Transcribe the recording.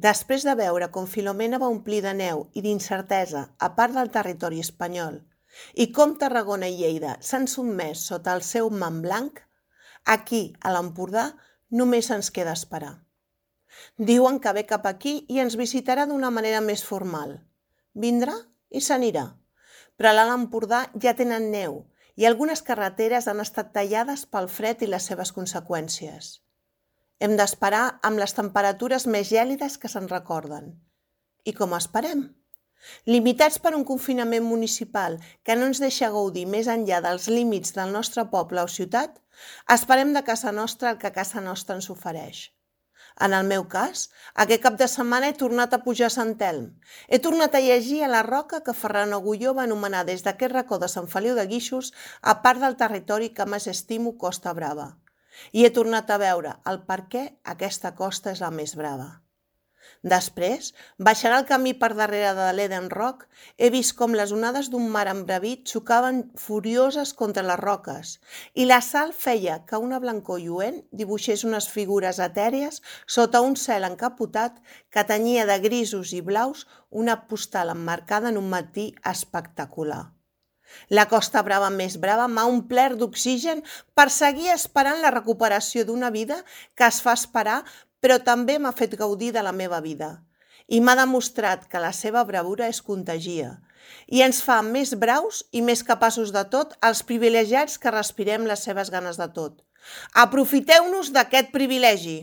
Després de veure com Filomena va omplir de neu i d'incertesa a part del territori espanyol i com Tarragona i Lleida s'han sotmès sota el seu man blanc, aquí, a l'Empordà, només ens queda esperar. Diuen que ve cap aquí i ens visitarà d'una manera més formal. Vindrà i s'anirà. Però a l'Alt Empordà ja tenen neu i algunes carreteres han estat tallades pel fred i les seves conseqüències. Hem d'esperar amb les temperatures més gèlides que se'n recorden. I com esperem? Limitats per un confinament municipal que no ens deixa gaudir més enllà dels límits del nostre poble o ciutat, esperem de casa nostra el que casa nostra ens ofereix. En el meu cas, aquest cap de setmana he tornat a pujar a Sant Elm. He tornat a llegir a la roca que Ferran Agulló va anomenar des d'aquest racó de Sant Feliu de Guíxols a part del territori que més estimo Costa Brava. I he tornat a veure el per què aquesta costa és la més brava. Després, baixant el camí per darrere de l'Eden Rock, he vist com les onades d'un mar embravit xocaven furioses contra les roques i la sal feia que una blancor lluent dibuixés unes figures etèries sota un cel encapotat que tenyia de grisos i blaus una postal emmarcada en un matí espectacular. La Costa Brava més brava m'ha omplert d'oxigen per seguir esperant la recuperació d'una vida que es fa esperar, però també m'ha fet gaudir de la meva vida. I m'ha demostrat que la seva bravura es contagia i ens fa més braus i més capaços de tot els privilegiats que respirem les seves ganes de tot. Aprofiteu-nos d'aquest privilegi!